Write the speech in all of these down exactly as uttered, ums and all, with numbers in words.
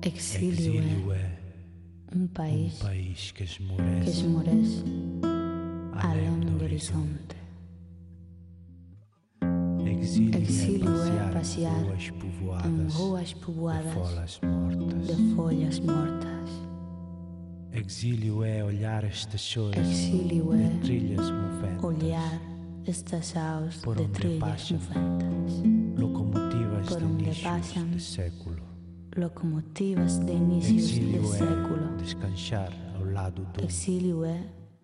Exílio é um país, um país que que esmorece, esmorece além além do do horizonte. horizonte. Exílio, Exílio é é passear passear em ruas em povoadas ruas de povoadas folhas mortas. de folhas mortas. Exílio é olhar estações Exílio de é trilhas moventas, olhar estações por de onde trilhas passam moventas, locomotivas por de onde inícios passam de século. locomotivas de inícios de Exílio século. é descansar ao lado do Exílio é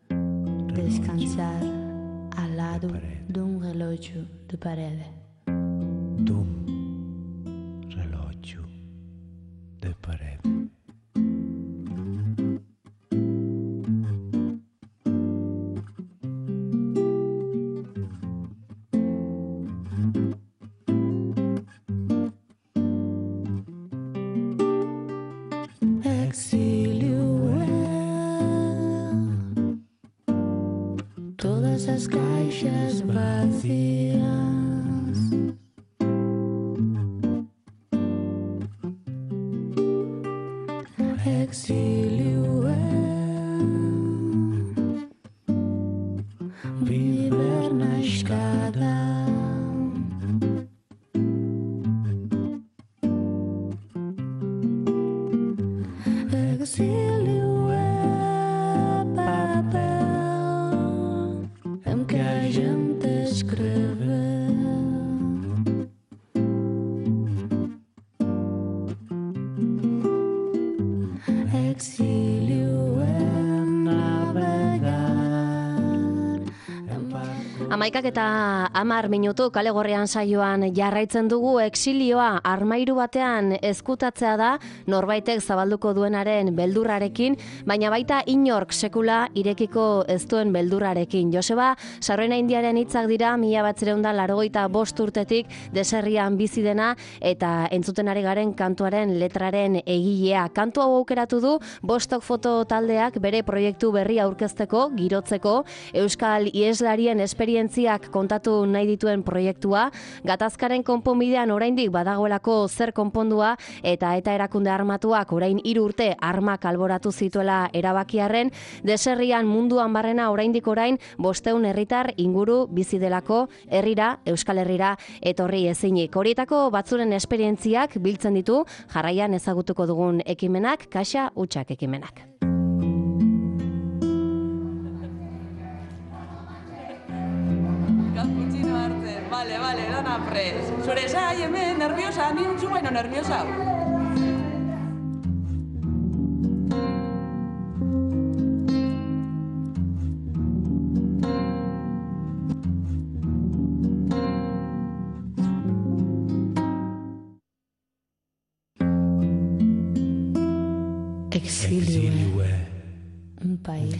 relógio descansar ao lado parede. de um relógio de parede. Dum relógio de parede. Exílio é todas as caixas vazias. Exílio é viver na escada. Exílio é papel em que a gente escreve. Exílio é navegar em barco. Amaikak eta amar minutu kale gorrian saioan jarraitzen dugu. Exilioa armairu batean ezkutatzea da norbaitek zabalduko duenaren beldurrarekin, baina baita inork sekula irekiko ez duen beldurrarekin. Joseba Sarrona Indiaren hitzak dira mila batziehun eta laurogeita bost urtetik deserrian bizi dena eta entzuten ari garen kantuaren letraren egilea. Kantu hau aukeratu du Bostok Foto taldeak bere proiektu berri aurkezteko, girotzeko, euskal ieslarien esperientziak kontatu nahi dituen proiektua, gatazkaren konponbidean oraindik badagoelako zer konpondua eta eta erakunde armatuak orain hiru urte armak alboratu zituela erabakiarren, deserrian munduan barrena oraindik orain bosteun herritar inguru bizi delako herrira, Euskal Herrira etorri ezinik. Horietako batzuren esperientziak biltzen ditu, jarraian ezagutuko dugun ekimenak, Kaxa Hutsak ekimenak. Cappuccino hartzen, vale, vale, dana pres. Zure zai hemen nerviosa, ni untzu baino nerviosa. Exílio é um país.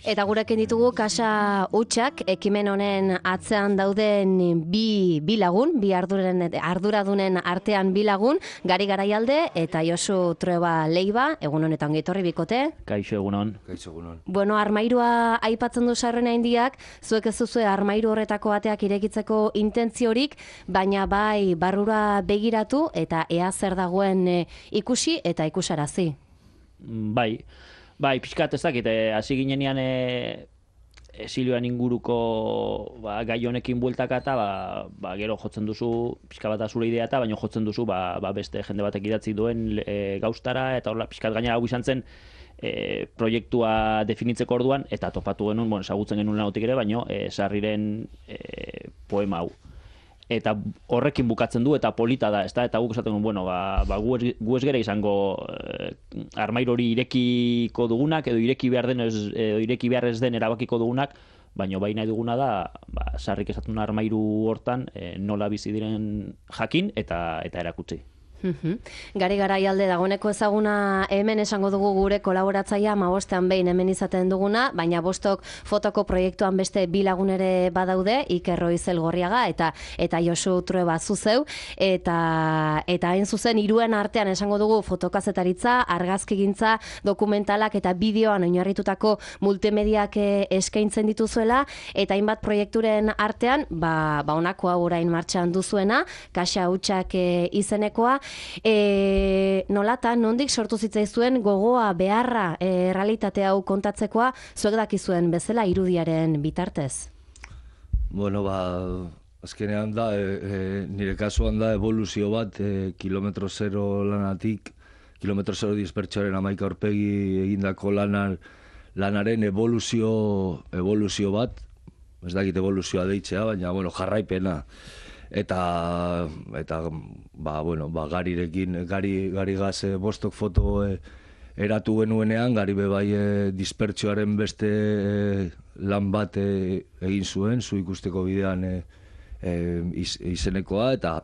Eta gurekin ditugu Kaxa Hutsak ekimen honen atzean dauden bi, bi lagun, bi arduren, arduradunen artean bi lagun, Gari Garaialde eta Josu Trueba Leiva, egun honetan gehitorri bikote. Kaixo egunon. Kaixo egunon. Bueno, armairua aipatzen du Sarrona Indiak, zuek ez duzue armairu horretako ateak irekitzeko intentziorik, baina bai barrura begiratu eta ea zer dagoen e, ikusi eta ikusarazi. Bai, bai, pixkat ez dakit, hasi ginenean e, exilioan inguruko ba, gai honekin bueltaka eta ba, ba, gero jotzen duzu, pixka bat zure idea eta baino jotzen duzu ba, ba beste jende batek idatzi duen e, gauztara eta horla pixkat gainera hau izan zen e, proiektua definitzeko orduan eta topatu genuen, bueno, ezagutzen genuen lautik ere, baino e, Sarriren e, poema hau. Eta horrekin bukatzen du eta polita da, ezta? Eta guk esaten duen, bueno, ba, ba gu, ez, gu ez gera izango eh, armairo hori irekiko dugunak edo ireki behar den ez, edo ireki behar ez den erabakiko dugunak, baina bai nahi duguna da, ba, Sarrik esaten armairu hortan eh, nola bizi diren jakin eta eta erakutsi. Gari Garaialde dagoeneko ezaguna hemen esango dugu gure kolaboratzailea hamabostean behin hemen izaten duguna, baina Bostok Fotoko proiektuan beste bi lagun ere badaude, Iker Roizel Gorriaga eta eta Josu Trueba zuzeu, eta eta hain zuzen hiruen artean esango dugu fotokazetaritza, argazkigintza, dokumentalak eta bideoan oinarritutako multimediak eskaintzen dituzuela, eta hainbat proiekturen artean, ba, ba honako hau orain martxan duzuena, Kaxa Hutsak izenekoa, E, nolatan, nondik sortu zitzaizuen gogoa, beharra, e, realitate hau kontatzekoa, zuek dakizuen bezala irudiaren bitartez? Bueno, ba, azkenean da, e, e, nire kasuan da evoluzio bat, e, kilometro zero lanatik, kilometro zero dispertsoaren amaika aurpegi egindako lanan, lanaren evoluzio, evoluzio bat, ez dakit evoluzioa deitzea, baina, bueno, jarraipena. Eta, eta ba, bueno, ba, garirekin, gari, gari gaz e, bostok foto e, eratu genuenean, gari bebai e, dispertsioaren beste e, lan bat e, egin zuen, zu ikusteko bidean e, e, iz, izenekoa, eta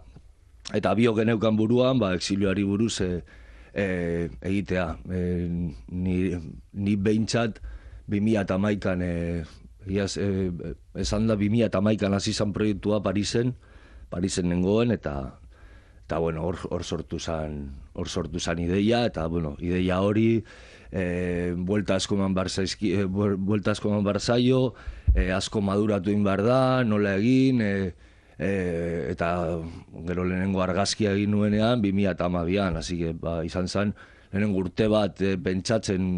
eta bio geneukan buruan, ba, exilioari buruz e, e, egitea. E, ni, ni behintzat bi mila hamaikan, e, iaz, e, esan da bi mila hamaikan hasi zan proiektua Parisen, Parisen nengoen, eta eta bueno, hor, hor sortu zan, hor sortu zan ideia, eta bueno, ideia hori e, buelta asko eman bar zaizki, e, buelta asko eman bar zaio, e, asko maduratu egin behar da, nola egin, e, e, eta gero lehenengo argazkia egin nuenean bi mila hamabian, hasi que ba, izan zen lehenengo urte bat e, pentsatzen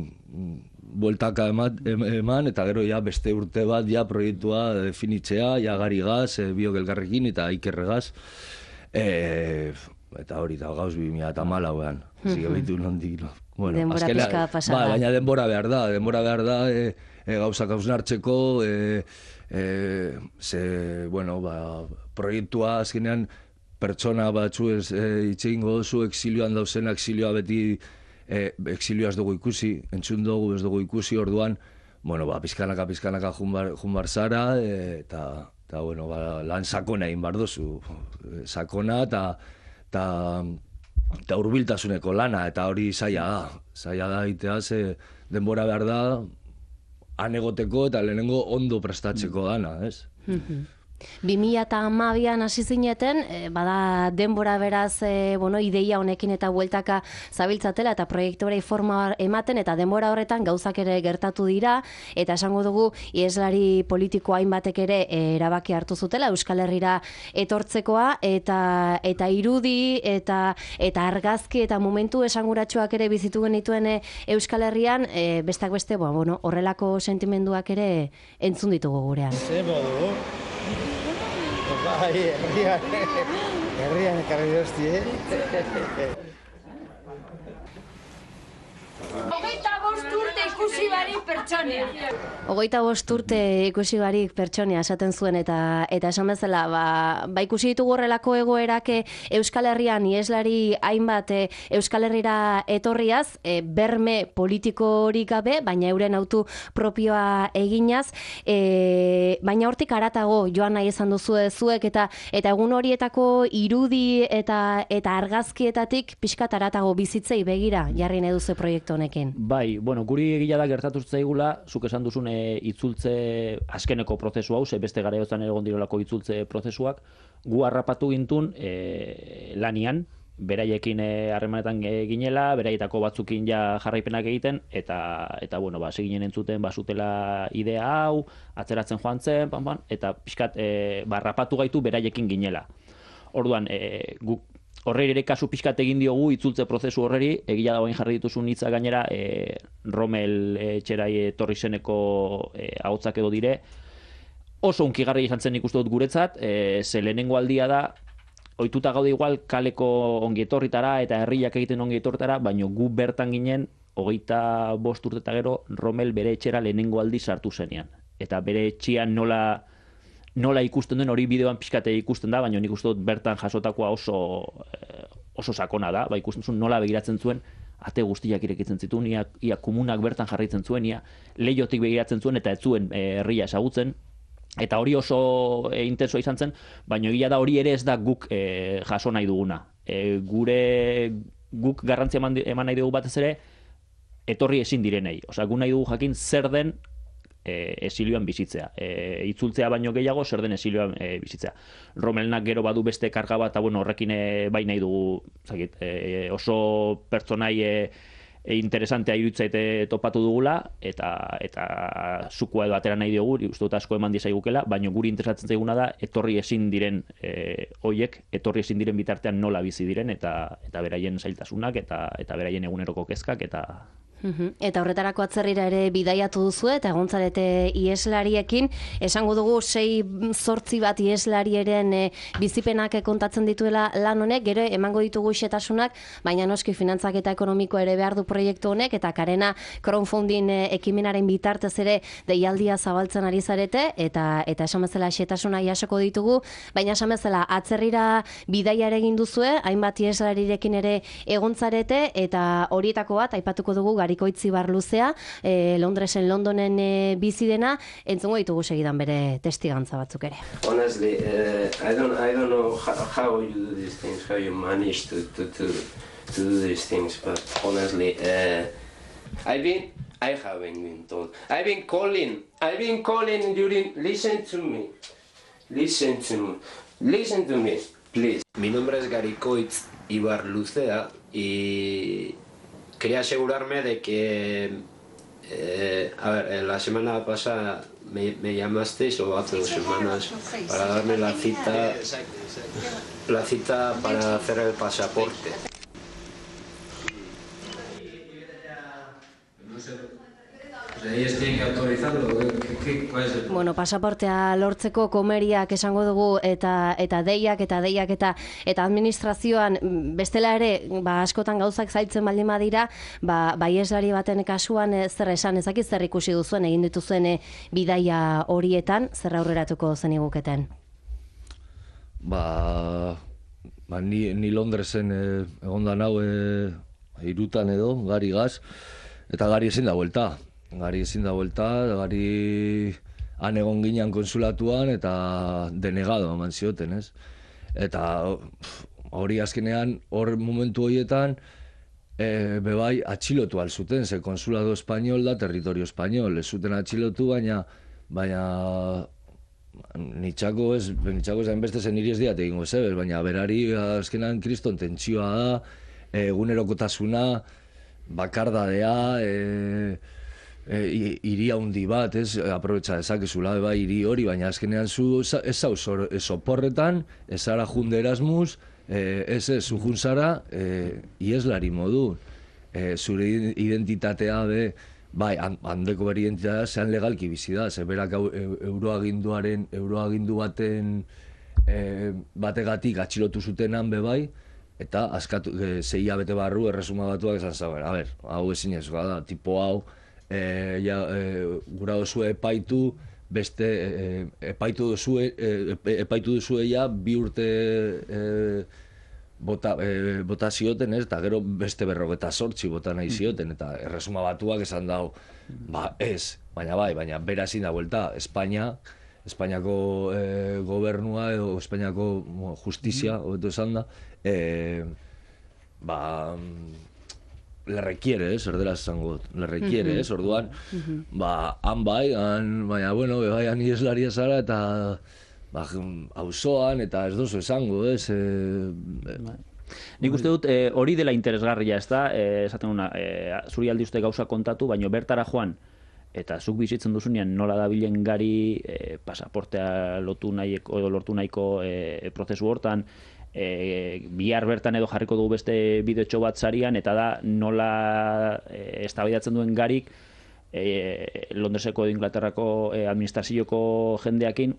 bueltaka eman, eman, eta gero ja beste urte bat ja proiektua definitzea, ja gari gaz, e, biok elkarrekin eta ikerregaz. E, eta hori, eta gauz bi mila hamalauan. Zik ebitu nondik. No. Bueno, denbora azkela, pixka pasada. Ba, baina denbora behar da, denbora behar da, e, e, gauzak hausnartzeko, e, e, ze, bueno, ba, proiektua azkenean pertsona batzu ez e, itxegingo duzu, exilioan dauzen, exilioa beti e, exilioa ez dugu ikusi, entzun dugu ez dugu ikusi, orduan, bueno, ba, pizkanaka, pizkanaka junbar, junbar zara, e, eta eta, bueno, ba, lan sakona egin behar duzu, sakona eta eta hurbiltasuneko lana, eta hori zaila da, zaila da egitea, ze denbora behar da, han egoteko eta lehenengo ondo prestatzeko dana, ez? bi mila hamabian hasi zineten, e, bada denbora beraz, e, bueno, ideia honekin eta bueltaka zabiltzatela eta proiektuari forma ematen, eta denbora horretan gauzak ere gertatu dira, eta esango dugu ieslari politiko hainbatek ere e, erabaki hartu zutela Euskal Herrira etortzekoa, eta eta irudi eta eta argazki eta momentu esanguratsuak ere bizitu genituen e, Euskal Herrian, e, bestak beste, ba, bueno, horrelako sentimenduak ere entzun ditugu gurean. Bai, herrian, herrian ekarri dozti, eh? Hogeita bost urte ikusi barik pertsonea. Hogeita bost urte ikusi barik pertsonea esaten zuen, eta eta esan bezala, ba, ba ikusi ditugu horrelako egoerak Euskal Herrian ieslari hainbat e, Euskal Herrira etorriaz, e, berme politikorik gabe, baina euren autu propioa eginaz, e, baina hortik haratago joan nahi izan duzu zuek, eta eta egun horietako irudi eta eta argazkietatik pixkat haratago bizitzei begira jarri nahi duzu proiektu honekin. Bai, bueno, guri egila da gertatu zaigula, zuk esan duzun e, itzultze azkeneko prozesu hau, ze beste garaiotan egon direlako itzultze prozesuak, gu harrapatu gintun e, lanian, beraiekin harremanetan e, ginela, beraietako batzukin ja jarraipenak egiten, eta, eta bueno, ba, seginen entzuten basutela idea hau, atzeratzen joan zen, pan, pan, eta pixkat e, ba, harrapatu gaitu beraiekin ginela. Orduan, e, guk horreri ere kasu pixkat egin diogu itzultze prozesu horreri, egia da bain jarri dituzun hitza gainera, e, Rommel etxerai etorri zeneko e, ahotsak edo dire, oso unkigarri izan zen ikusten dut guretzat, e, ze lehenengo aldia da, ohituta gaude igual kaleko ongietorritara eta herriak egiten ongietorritara, baina gu bertan ginen, hogeita bost urte eta gero, Rommel bere etxera lehenengo aldi sartu zenean. Eta bere etxean nola nola ikusten den hori bideoan pixkate ikusten da, baina nik uste dut bertan jasotakoa oso oso sakona da, ba, ikusten zuen nola begiratzen zuen, ate guztiak irekitzen zituen, ia, ia komunak bertan jarraitzen zuen, ia leiotik begiratzen zuen eta ez zuen e, herria ezagutzen, eta hori oso e, intensoa izan zen, baina egia da hori ere ez da guk e, jaso nahi duguna. E, gure guk garrantzia eman, eman nahi dugu batez ere, etorri ezin direnei. Osea, gu nahi dugu jakin zer den E, esilioan bizitzea. E, itzultzea baino gehiago, zer den esilioan e, bizitzea. Rommelnak gero badu beste karga bat, eta bueno, horrekin e, bai nahi dugu, zakit, e, oso pertsonai e, e, interesantea iruditzaite topatu dugula, eta eta zukua edo atera nahi diogu, uste dut asko eman dizaigukela, baina guri interesatzen zaiguna da, etorri ezin diren e, hoiek, etorri ezin diren bitartean nola bizi diren, eta eta beraien zailtasunak, eta eta beraien eguneroko kezkak, eta Eta horretarako atzerrira ere bidaiatu duzu eta egontzarete ieslariekin. Esango dugu sei zortzi bat ieslarieren e, bizipenak kontatzen dituela lan honek, gero emango ditugu xetasunak, baina noski finantzak eta ekonomiko ere behar du proiektu honek, eta Karena crowdfunding e, ekimenaren bitartez ere deialdia zabaltzen ari zarete, eta eta esan bezala xetasuna jasoko ditugu, baina esan bezala atzerrira bidaia ere egin duzue, hainbat ieslarirekin ere egontzarete, eta horietako bat aipatuko dugu Garikoitzi Barluzea, eh, Londresen, Londonen eh, bizi dena, entzungo ditugu segidan bere testigantza batzuk ere. Honestly, uh, I don't I don't know how, how you do these things, how you manage to to to, to do these things, but honestly, uh, I've been I haven't been told. I've been calling. I've been calling during. Listen to me. Listen to me. Listen to me, please. Mi nombre es Garikoitz Ibarluzea y quería asegurarme de que, eh, a ver, la semana pasada me, me llamasteis, o hace dos semanas, para darme la cita, la cita para hacer el pasaporte. Ellos tienen que autorizarlo. ¿Qué, qué, cuál es el... Bueno, pasaportea lortzeko komeriak esango dugu eta eta deiak eta deiak eta eta administrazioan bestela ere ba askotan gauzak zailtzen baldin badira, ba baieslari baten kasuan e, zer esan ezaki zer ikusi duzuen egin dituzuen e, bidaia horietan zer aurreratuko zeniguketen. Ba, ba ni, ni Londresen e, egonda nau e, hirutan edo gari gaz eta gari ezin da buelta. Gari ezin da buelta, gari han egon ginean konsulatuan eta denegado eman zioten, ez? Eta hori azkenean, hor momentu horietan, e, bebai atxilotu alzuten, ze konsulado espainol da territorio espainol, ez zuten atxilotu, baina baina nitxako ez, nitxako ez hainbeste zen niri ez diat egingo zebel, baina berari azkenean kriston tentsioa da, egunerokotasuna, bakardadea, e, E, hiri handi bat, ez, aprobetxa dezakezula, bai, hiri hori, baina azkenean zu ez zauz soporretan, ez zara junde Erasmus, e, ez ez, zu juntzara, e, ieslari modu, e, zure identitatea be, bai, handeko beri identitatea zean legalki bizi da, ze berak euroaginduaren, euroagindu baten e, bategatik atxilotu zutenan be bai, eta askatu, e, zeia bete barru erresuma batuak esan zauen, a ber, hau ezin ez, da, tipo hau, E, ja, e, gura duzue epaitu, beste e, epaitu duzue, e, epaitu duzue ja bi urte e, bota, e, bota zioten, ez, eta gero beste berrogeta sortzi bota nahi zioten, eta erresuma batuak esan dau, ba ez, baina bai, baina bera ezin da buelta, Espainia, Espainiako e, gobernua edo Espainiako bueno, justizia, hobeto esan da, e, ba... le requiere, eh, erdera esango, le requiere, eh, orduan, ba, han bai, han, baina, bueno, bai, han ieslaria zara, eta, ba, auzoan, eta ez dozu esango, ez, eh, Nik uste dut eh, hori dela interesgarria, ez da, eh, esaten una, eh, zuri aldi uste gauza kontatu, baina bertara joan, eta zuk bizitzen duzunean nola dabilen gari eh, pasaportea lotu nahiko, edo lortu nahiko eh, prozesu hortan, E, bihar bertan edo jarriko dugu beste bideotxo bat zarian, eta da nola e, eztabaidatzen duen garik e, Londreseko edo Inglaterrako e, administrazioko jendeakin,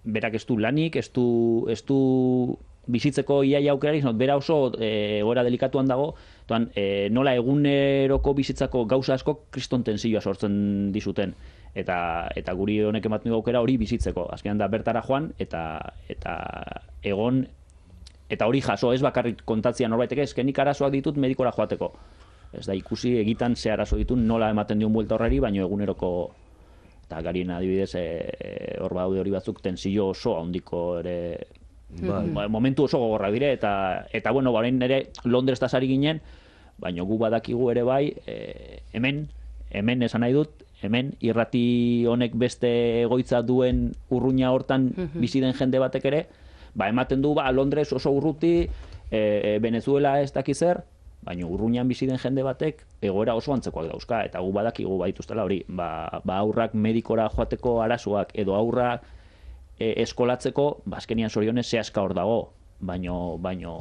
berak ez du lanik, ez du, ez du bizitzeko iaia aukerarik, bera oso e, gora delikatuan dago, toan, e, nola eguneroko bizitzako gauza asko kriston tensioa sortzen dizuten. Eta, eta guri honek ematen du aukera hori bizitzeko. Azkenean da bertara joan, eta, eta egon. Eta hori jaso, ez bakarrik kontatzia norbaitek, ezkenik arazoak ditut medikora joateko. Ez da ikusi egitan ze arazo ditut nola ematen dion buelta horreri, baino eguneroko, eta garien adibidez, hor e, badaude hori batzuk tensio oso handiko ere, ba, momentu oso gogorra dire, eta, eta bueno, baren ere Londres tasari ginen, baino gu badakigu ere bai, e, hemen, hemen esan nahi dut, hemen irrati honek beste egoitza duen urruña hortan bizi den jende batek ere, ba, ematen du, ba, Londres oso urruti, e, Venezuela ez dakiz zer, baina urruñan bizi den jende batek egoera oso antzekoak dauzka, eta gu badakigu baituztela hori, ba, ba aurrak medikora joateko arazoak, edo aurrak e, eskolatzeko, bazkenian zorionez zehaska hor dago, baino, baino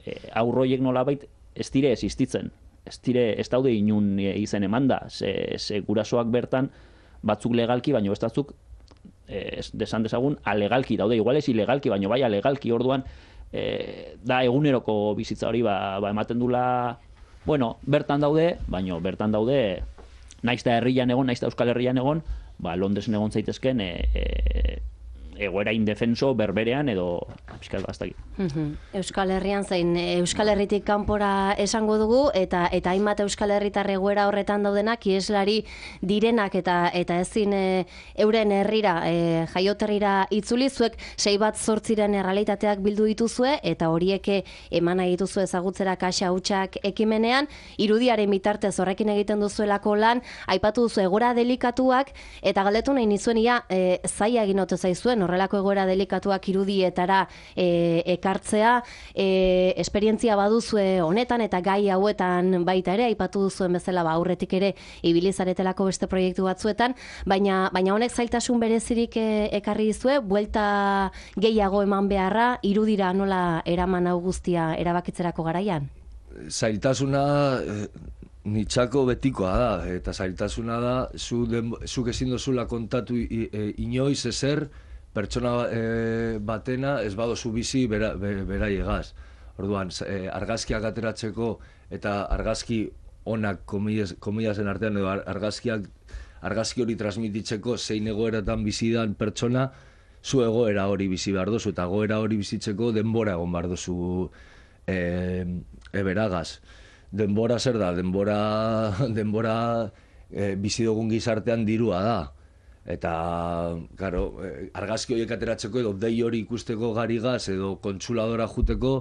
e, aurroiek nolabait ez dire existitzen, ez dire, ez daude inun izen emanda, ze, ze gurasoak bertan batzuk legalki, baino bestatzuk eh, desan dezagun alegalki daude, igual ez ilegalki, baino bai alegalki, orduan eh, da eguneroko bizitza hori ba, ba ematen dula, bueno, bertan daude, baino bertan daude naiz da herrian egon, naiz da Euskal Herrian egon, ba Londresen egon zaitezken e, e, egoera indefenso berberean edo pixkat bastakit. Euskal Herrian zein Euskal Herritik kanpora esango dugu, eta eta hainbat Euskal Herritar egoera horretan daudenak ieslari direnak eta eta ezin e, euren herrira e, jaioterrira itzuli, zuek sei bat zortziren errealitateak bildu dituzue eta horiek eman nahi dituzue ezagutzera kaxa hutsak ekimenean, irudiaren bitartez horrekin egiten duzuelako lan, aipatu duzu egoera delikatuak, eta galdetu nahi nizuen ia e, zaila egin ote zaizuen horrelako egoera delikatuak irudietara e, ekartzea, e, esperientzia baduzue honetan eta gai hauetan baita ere, aipatu duzuen bezala ba aurretik ere ibilizaretelako beste proiektu batzuetan, baina baina honek zailtasun berezirik e, ekarri dizue, buelta gehiago eman beharra, irudira nola eraman hau guztia erabakitzerako garaian? Zailtasuna eh, nitzako betikoa da, eta zailtasuna da, zu den, zuk ezin dozula kontatu i, e, inoiz ezer, pertsona e, batena ez badozu bizi bera, be, beraiegaz. Orduan, e, argazkiak ateratzeko eta argazki onak komilasen artean, edo argazkiak, argazki hori transmititzeko zein egoeratan bizidan pertsona, zu egoera hori bizi behar dozu, eta egoera hori bizitzeko denbora egon behar dozu e, eberagaz. Denbora zer da? Denbora, denbora e, bizi dugun gizartean dirua da. Eta, claro, argazki horiek ateratzeko edo dei hori ikusteko garigaz edo kontsuladora juteko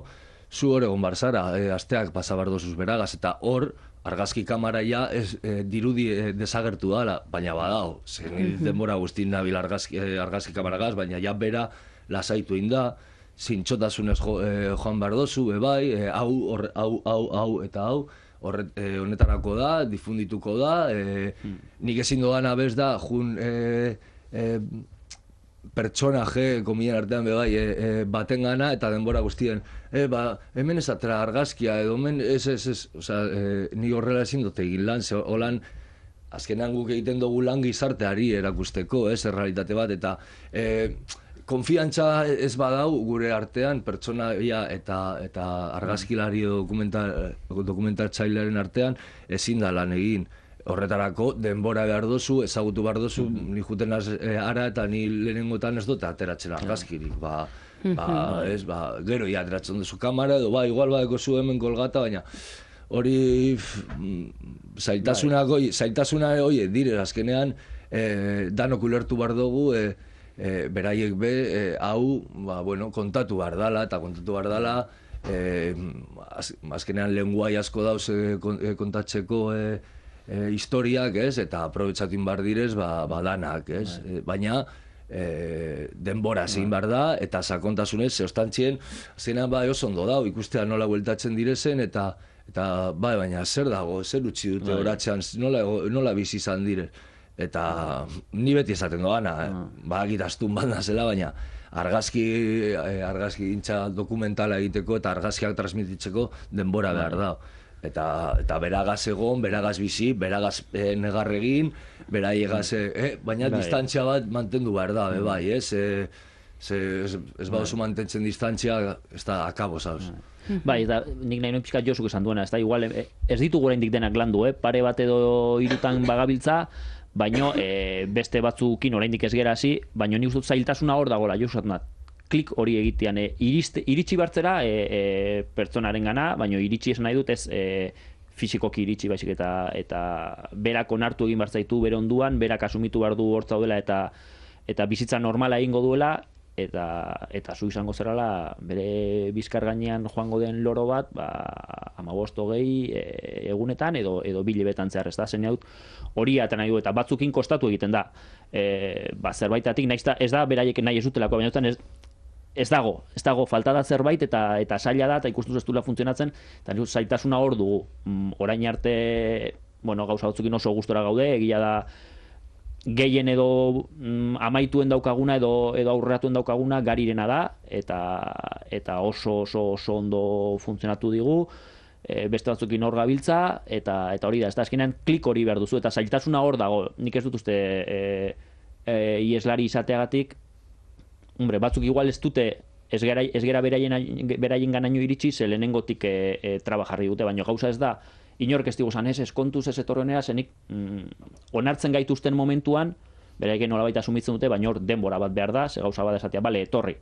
zu hor egon barzara, e, asteak pasabar dozuz beragaz, eta hor argazki kamaraia ez, e, dirudi e, desagertu dala, baina badao, zen denbora guztin nabil argazki, e, argazki kamaragaz, baina ja bera lasaitu inda, zintxotasunez jo, e, joan behar dozu, e, bai, e, hau, or, hau, hau, hau, eta hau, horret, e, honetarako da, difundituko da, e, hmm. nik ezin doan abez da, jun e, e, pertsonaje, komien artean bebai, e, e, baten gana, eta denbora guztien, e, ba, hemen ez atera argazkia, edo hemen ez, ez, ez, oza, e, ni horrela ezin dut egin lan, ze holan, azkenean guk egiten dugu lan gizarteari erakusteko, ez, errealitate bat, eta e, konfiantza ez badau gure artean, pertsonaia eta eta argazkilari dokumental, dokumentaltzailearen artean ezin da lan egin. Horretarako denbora behar dozu, ezagutu behar dozu, mm. ni juten az, e, ara eta ni lehenengotan ez dut ateratzen argazkirik. Ba, ba, ez, ba, gero ja ateratzen duzu kamera, edo ba, igual badeko zu hemen kolgata, baina hori zailtasuna goi, zailtasuna hori dire, azkenean e, danok ulertu behar dugu, e, E, beraiek be, e, hau ba, bueno, kontatu behar dala, eta kontatu behar dala, e, az, azkenean lenguai asko dauz e, kontatzeko e, e, historiak, ez? Eta aprobetsatin behar direz, ba, ba danak, ez? E, baina e, denbora zein behar da, eta sakontasunez, zeostantzien, zeina ba oso ondo dau, ikustea nola bueltatzen direzen, eta eta bai, baina zer dago, zer utzi dute horatzean, nola, nola bizi izan dire. Eta ni beti esaten doana, eh? ba, agitaztun banda zela, baina argazki, eh, argazki gintza dokumentala egiteko eta argazkiak transmititzeko denbora behar da. Eta, eta beragaz egon, beragaz bizi, beragaz eh, negarregin, beraiegaz, eh, baina distantzia bat mantendu behar da, be, bai, ez? Eh, ze, ez, ez baduzu mantentzen distantzia, ez da akabo, zauz. Bai, eta nik nahi noin pixkat Josuk esan duena, ez da, igual, ez ditugu oraindik denak landu, eh? Pare bat edo hirutan bagabiltza, baino e, beste batzukin oraindik ez gera hasi, baino nik uste dut zailtasuna hor dagoela, jo usatzen klik hori egitean, e, iriste, iritsi bartzera e, e, pertsonaren gana, baino iritsi esan nahi dut ez e, fizikoki iritsi baizik eta eta berak onartu egin bartzaitu bere onduan, berak asumitu behar du hor zaudela eta eta bizitza normala egingo duela, eta eta zu izango zerala bere bizkar gainean joango den loro bat, ba hamabost hogei e, egunetan edo edo bi hilabetetan zehar, ez da, zen dut hori ata nahi du, eta batzukin kostatu egiten da. E, ba zerbaitatik naiz ez da beraiek nahi ez dutelako, baina ez ez dago, ez dago, falta da zerbait eta eta zaila da, eta ikustu ez duela funtzionatzen, eta nik uste zaitasuna hor dugu. Mm, orain arte, bueno, gauza batzukin oso gustora gaude, egia da, gehien edo mm, amaituen daukaguna edo edo aurreratuen daukaguna garirena da, eta eta oso oso oso ondo funtzionatu digu, e, beste batzukin hor gabiltza, eta eta hori da, ez da, azkenean klik hori behar duzu, eta zailtasuna hor dago, nik ez dut uste e, e, ieslari izateagatik, hombre, batzuk igual ez dute, ez gera, ez gera beraien, beraien ganaino iritsi, ze lehenengotik e, e, trabajarri dute, baina gauza ez da, inork ez diguzan, ez, ez kontuz ez etorrenera, zenik mm, onartzen gaituzten momentuan, beraien nolabait asumitzen dute, baina hor denbora bat behar da, ze gauza bat esatea, bale, etorri,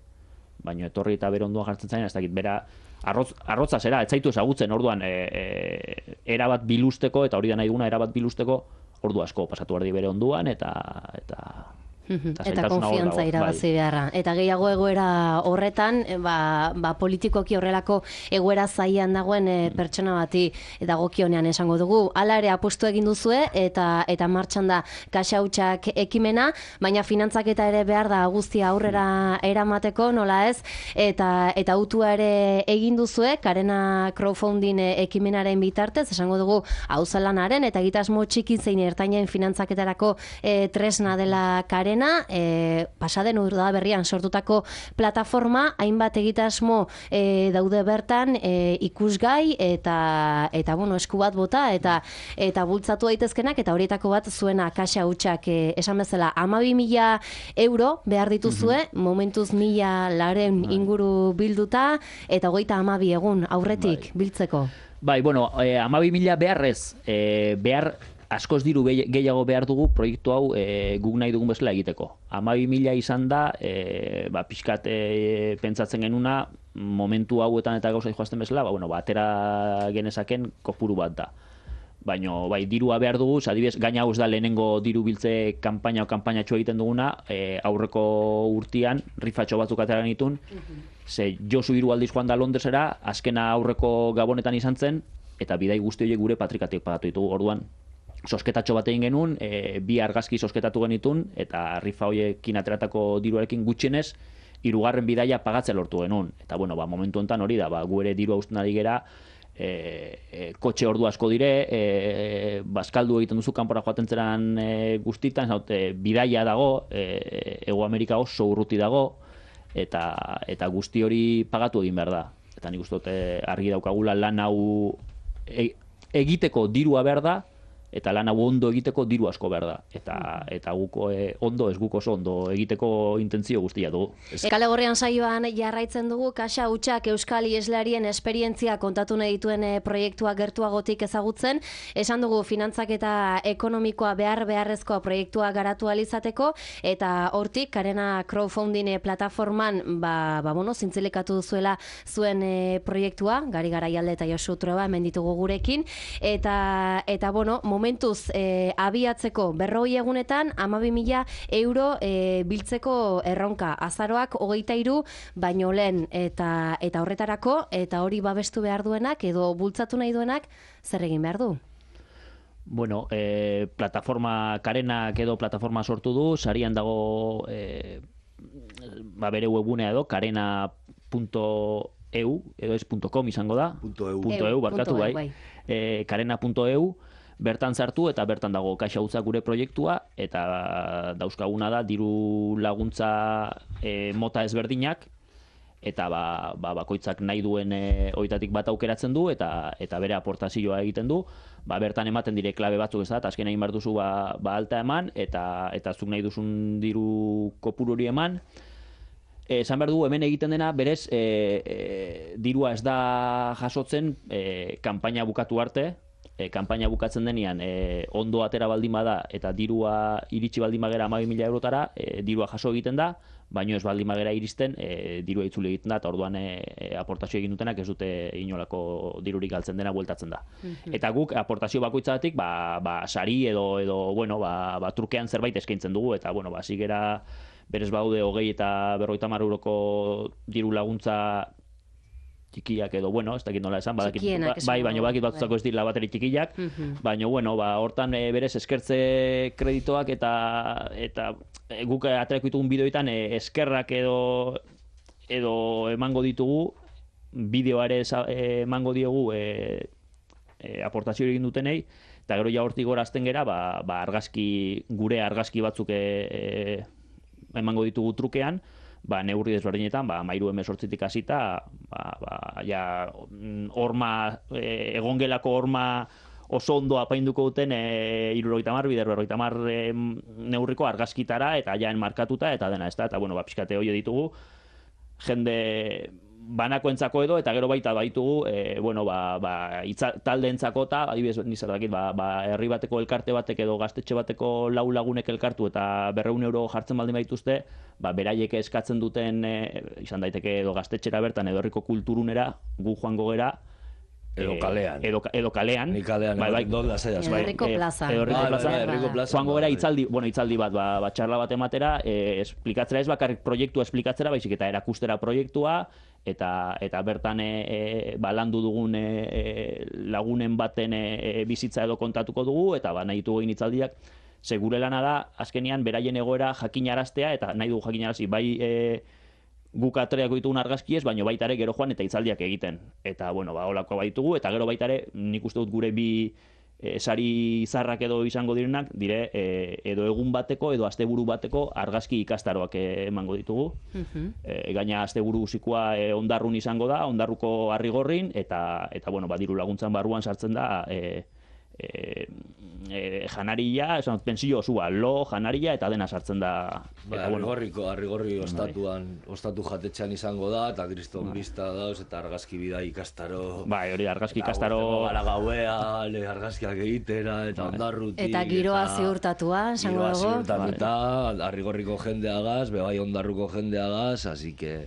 baina etorri eta bere ondoan jartzen zain, ez dakit, bera, arrotz, arrotza zera, ez zaitu ezagutzen, orduan, e, e, erabat bilusteko, eta hori da nahi duguna, erabat bilusteko, ordu asko pasatu erdi bere onduan, eta... eta eta konfiantza irabazi beharra. Eta gehiago egoera horretan, ba, ba politikoki horrelako egoera zaian dagoen e, pertsona bati dagokionean esango dugu. Hala ere apustu egin duzue eta eta martxan da kaxa hutsak ekimena, baina finantzaketa ere behar da guztia aurrera eramateko, nola ez? Eta eta autua ere egin duzue, Karena crowdfunding ekimenaren bitartez, esango dugu auzolanaren eta egitasmo txiki zein ertainen finantzaketarako e, tresna dela Karena. E, pasaden urda berrian sortutako plataforma, hainbat egitasmo e, daude bertan e, ikusgai eta eta bueno, esku bat bota eta eta bultzatu daitezkenak, eta horietako bat zuena kaxa hutsak e, esan bezala hamabi mila euro behar dituzue, mm-hmm. momentuz mila laren inguru bilduta eta hogeita hamabi egun aurretik bai. Biltzeko. Bai, bueno, eh, hamabi mila beharrez, eh, behar askoz diru gehiago behar dugu proiektu hau e, guk nahi dugun bezala egiteko. hamabi mila izan da, e, ba, pixkat e, pentsatzen genuna, momentu hauetan eta gauza joazten bezala, ba, bueno, ba, atera genezaken kopuru bat da. Baina, bai, dirua behar dugu, adibidez, gaina hau ez da lehenengo diru biltze kanpaina o kanpainatxo egiten duguna, e, aurreko urtian, rifatxo batzuk atera genitun, ze Josu hiru aldiz joan da Londresera, azkena aurreko Gabonetan izan zen, eta bidai guzti horiek gure patrikatik pagatu ditugu, orduan, sosketatxo bat egin genuen, e, bi argazki sosketatu genitun, eta rifa horiekin ateratako diruarekin gutxienez, hirugarren bidaia pagatzea lortu genuen. Eta, bueno, ba, momentu honetan hori da, ba, gu ere diru hausten ari gera, e, e, kotxe ordu asko dire, e, bazkaldu egiten duzu kanpora joaten zeran e, guztitan, zaut, e, bidaia dago, e, Ego Amerika oso urruti dago, eta, eta guzti hori pagatu egin behar da. Eta nik uste dut argi daukagula lan hau e, egiteko dirua behar da, eta lan hau ondo egiteko diru asko behar da. Eta, eta guko e, ondo, ez guko oso ondo egiteko intentzio guztia dugu. Kale Gorrian saioan jarraitzen dugu, kaxa hutsak euskal ieslarien esperientzia kontatu nahi dituen e, proiektua gertuagotik ezagutzen. Esan dugu finantzak eta ekonomikoa behar beharrezkoa proiektua garatu alizateko, eta hortik Karena crowdfunding e, plataforman ba, ba, bueno, zintzilikatu duzuela zuen e, proiektua, Gari Garaialde eta Josu Trueba hemen ditugu gurekin, eta, eta bueno, momentuz e, abiatzeko berrogei egunetan hamabi mila euro e, biltzeko erronka. Azaroak hogeita hiru baino lehen, eta eta horretarako, eta hori babestu behar duenak edo bultzatu nahi duenak zer egin behar du? Bueno, e, plataforma Karenak edo plataforma sortu du, sarian dago e, ba bere webgunea edo karena punto e u edo ez .com izango da. .eu. .eu, barkatu bai. bai. E, karena punto e u bertan sartu eta bertan dago kaxa hutsak gure proiektua, eta dauzkaguna da diru laguntza e, mota ezberdinak, eta ba, ba, bakoitzak nahi duen e, oitatik bat aukeratzen du, eta eta bere aportazioa egiten du, ba, bertan ematen dire klabe batzuk ez da, eta azken egin behar duzu ba, ba alta eman, eta eta zuk nahi duzun diru kopuru hori eman. Esan behar dugu, hemen egiten dena, berez, e, e, dirua ez da jasotzen e, kanpaina bukatu arte, e, kanpaina bukatzen denean e, ondo atera baldin bada eta dirua iritsi baldin bagera hamabi mila eurotara, e, dirua jaso egiten da, baino ez baldin bagera iristen, e, dirua itzuli egiten da, eta orduan e, e, aportazio egin dutenak ez dute inolako dirurik galtzen dena bueltatzen da. Mm-hmm. Eta guk aportazio bakoitzatik, ba, ba, sari edo, edo bueno, ba, ba, trukean zerbait eskaintzen dugu, eta bueno, ba, zigera berez baude hogei eta berrogeita hamar euroko diru laguntza txikiak edo, bueno, ez dakit nola esan, badakit, bai, baina badakit batzutako ez dira bateri txikiak, mm-hmm. baina, bueno, ba, hortan e, berez eskertze kreditoak eta eta e, guk aterako ditugun bideoetan e, eskerrak edo edo emango ditugu, bideoare emango diegu e, e, aportazio egin dutenei, eta gero ja hortik gorazten gera, ba, ba argazki, gure argazki batzuk e, e, emango ditugu trukean, ba, neurri desberdinetan, ba, mairu emezortzitik hasita, ba, ba, ja, horma, e, egongelako horma oso ondo apainduko duten e, irurogeita hamar, bider berrogeita hamar e, neurriko argazkitara, eta jaen markatuta, eta dena, ez da, eta, bueno, ba, pixkate hori ditugu, jende banakoentzako edo, eta gero baita baitugu, e, bueno, ba, ba, itza, taldeentzako eta, adibidez, nizar dakit, ba, ba, herri bateko elkarte batek edo gaztetxe bateko lau lagunek elkartu eta berreun euro jartzen baldin baituzte, ba, beraiek eskatzen duten, e, izan daiteke edo gaztetxera bertan edo herriko kulturunera, gu joango gera, Edo kalean. Edo, edo kalean. Ni kalean, bai, bai, don lasaiaz. Edo herriko plazan. Edo herriko plazan. Herriko plazan. Joango gara itzaldi, bueno, itzaldi bat, ba, ba txarla bat ematera, e, esplikatzera ez bakarrik proiektua esplikatzera, baizik eta erakustera proiektua, eta eta bertan e, e, ba, landu dugun e, e, lagunen baten e, bizitza edo kontatuko dugu, eta ba, nahi ditugu egin itzaldiak, ze gure lana da, azkenean, beraien egoera jakinaraztea, eta nahi dugu jakinarazi, bai e, guk atreako ditugun argazkiez, baina baita ere gero joan eta itzaldiak egiten. Eta, bueno, ba, holako baitugu, eta gero baita ere, nik uste dut gure bi e, sari zarrak edo izango direnak, dire, e, edo egun bateko, edo asteburu bateko argazki ikastaroak e, emango ditugu. Uh-huh. E, gaina asteburu zikoa e, ondarrun izango da, ondarruko Arrigorrin, eta, eta bueno, ba, diru laguntzan barruan sartzen da, e, E, e, janaria, esan, pensio osua, lo, janaria, eta dena sartzen da. Ba, eta, bueno, Arrigorriko, Arrigorri ostatuan, ostatu jatetxean izango da, eta kriston bista dauz, eta argazki bida ikastaro. Bai, hori argazki ikastaro. Gara gauean, argazkiak egitera, eta ondarrutik. Eta giroa ziurtatua, esango dago. Giroa ziurtatuta, Arrigorriko jendeagaz, bebai ondarruko jendeagaz, así que...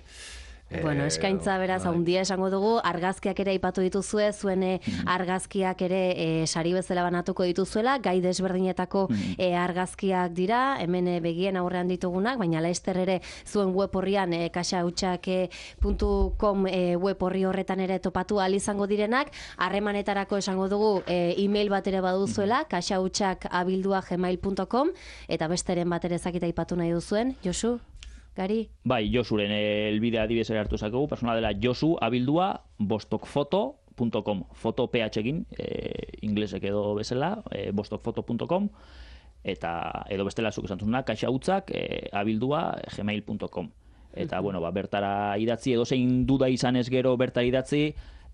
Bueno, eskaintza beraz handia esango dugu, argazkiak ere aipatu dituzue, zuen argazkiak ere e, sari bezala banatuko dituzuela, gai desberdinetako e, argazkiak dira, hemen e, begien aurrean ditugunak, baina laizter ere zuen web horrian e, kaxautxak puntu com e, web horri horretan ere topatu ahal izango direnak, harremanetarako esango dugu e, e-mail bat ere baduzuela, kaxautxak abildua gmail puntu com, eta besteren bat ere zakita aipatu nahi duzuen, Josu? Gari? Bai, Josuren elbidea adibidez ere hartu zakegu, persona dela Josu abildua bostokfoto puntu com, foto ph egin, e, inglesek edo bezala, e, bostokfoto puntu com, eta edo bestela zuk esan zuzuna, kaxautzak e, abildua gmail puntu com. Eta, bueno, ba, bertara idatzi, edo zein duda izan ez gero bertara idatzi,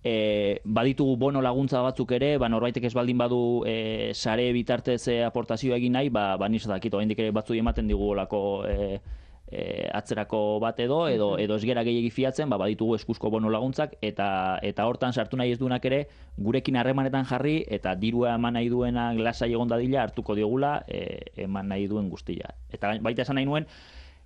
e, baditugu bono laguntza batzuk ere, ba, norbaitek ez baldin badu e, sare bitartez e, aportazioa egin nahi, ba, ba niz dakit, oraindik ere batzu ematen digu olako... E, E, atzerako bat edo, edo, edo ez gera gehiagi fiatzen, ba, baditugu eskuzko bono laguntzak, eta eta hortan sartu nahi ez duenak ere, gurekin harremanetan jarri, eta dirua eman nahi duenak lasai egon dadila hartuko diogula, e, eman nahi duen guztia. Eta baita esan nahi nuen,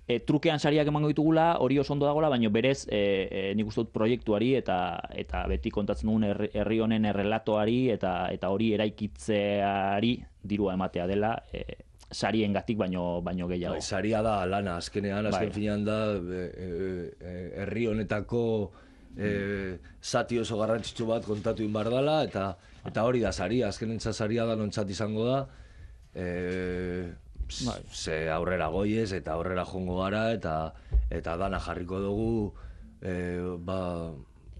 e, trukean sariak emango ditugula, hori oso ondo dagoela, baina berez, e, e, nik uste dut proiektuari, eta eta beti kontatzen dugun herri, herri honen errelatoari, eta eta hori eraikitzeari dirua ematea dela, e, sarien gatik baino, baino gehiago. Bai, saria da lana, azkenean, azken bai. Finean da, herri e, e, honetako e, zati oso garrantzitsu bat kontatu inbar dela, eta, eta hori da saria, azkenentza saria da nontzat izango da, e, bai. Ze aurrera goiez, eta aurrera jongo gara, eta eta dana jarriko dugu, e, ba,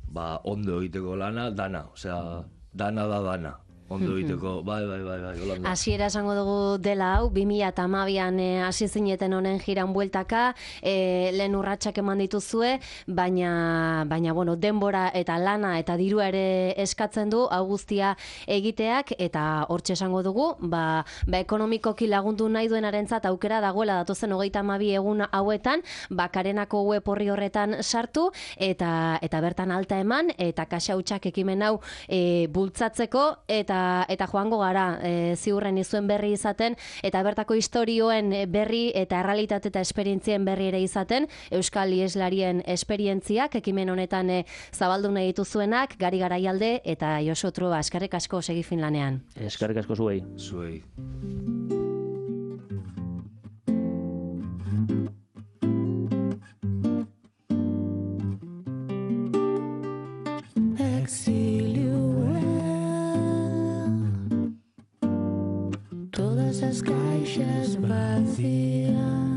ba, ondo egiteko lana, dana, osea, dana da dana. Ondo egiteko, bai, bai, bai, bai, holanda. Hasiera esango dugu dela hau, bi mila hamabian hasi zineten honen jiran bueltaka, e, lehen urratsak eman dituzue, baina, baina, bueno, denbora eta lana eta dirua ere eskatzen du, hau guztia egiteak, eta hortxe esango dugu, ba, ba ekonomikoki lagundu nahi duenarentzat aukera dagoela datozen hogeita hamabi egun hauetan, bakarenako web horri horretan sartu, eta eta bertan alta eman, eta kaxautxak ekimen hau e, bultzatzeko, eta eta joango gara e, ziurren izuen berri izaten, eta bertako istorioen berri eta errealitate eta esperientzien berri ere izaten, Euskal Ieslarien esperientziak ekimen honetan e, zabaldu nahi dituzuenak, Gari Garaialde eta Josu Trueba, eskerrik asko segi Finlanean. Eskerrik asko zuei. Zuei. Todas as caixas vazias.